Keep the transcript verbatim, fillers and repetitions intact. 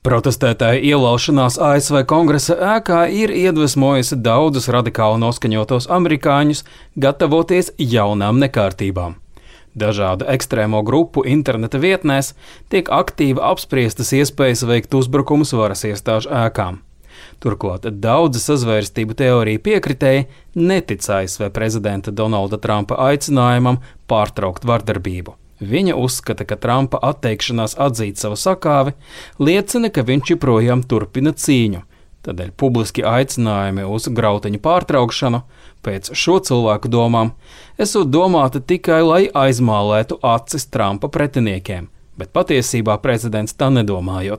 Protestētāju ielaušanās A S V Kongresa ēkā ir iedvesmojusi daudzus radikāli noskaņotos amerikāņus gatavoties jaunām nekārtībām. Dažādu ekstrēmo grupu interneta vietnēs tiek aktīvi apspriestas iespējas veikt uzbrukumus varas iestāžu ēkām. Turklāt daudzi sazvērstību teoriju piekritēji netic A S V prezidenta Donalda Trumpa aicinājumam pārtraukt vardarbību. Viņa uzskata, ka Trumpa atteikšanās atzīt savu sakāvi liecina, ka viņš joprojām turpina cīņu. Tādēļ publiski aicinājumi uz grautiņu pārtraukšanu, pēc šo cilvēku domām, esot domāti tikai, lai aizmālētu acis Trumpa pretiniekiem, bet patiesībā prezidents tā nedomājot.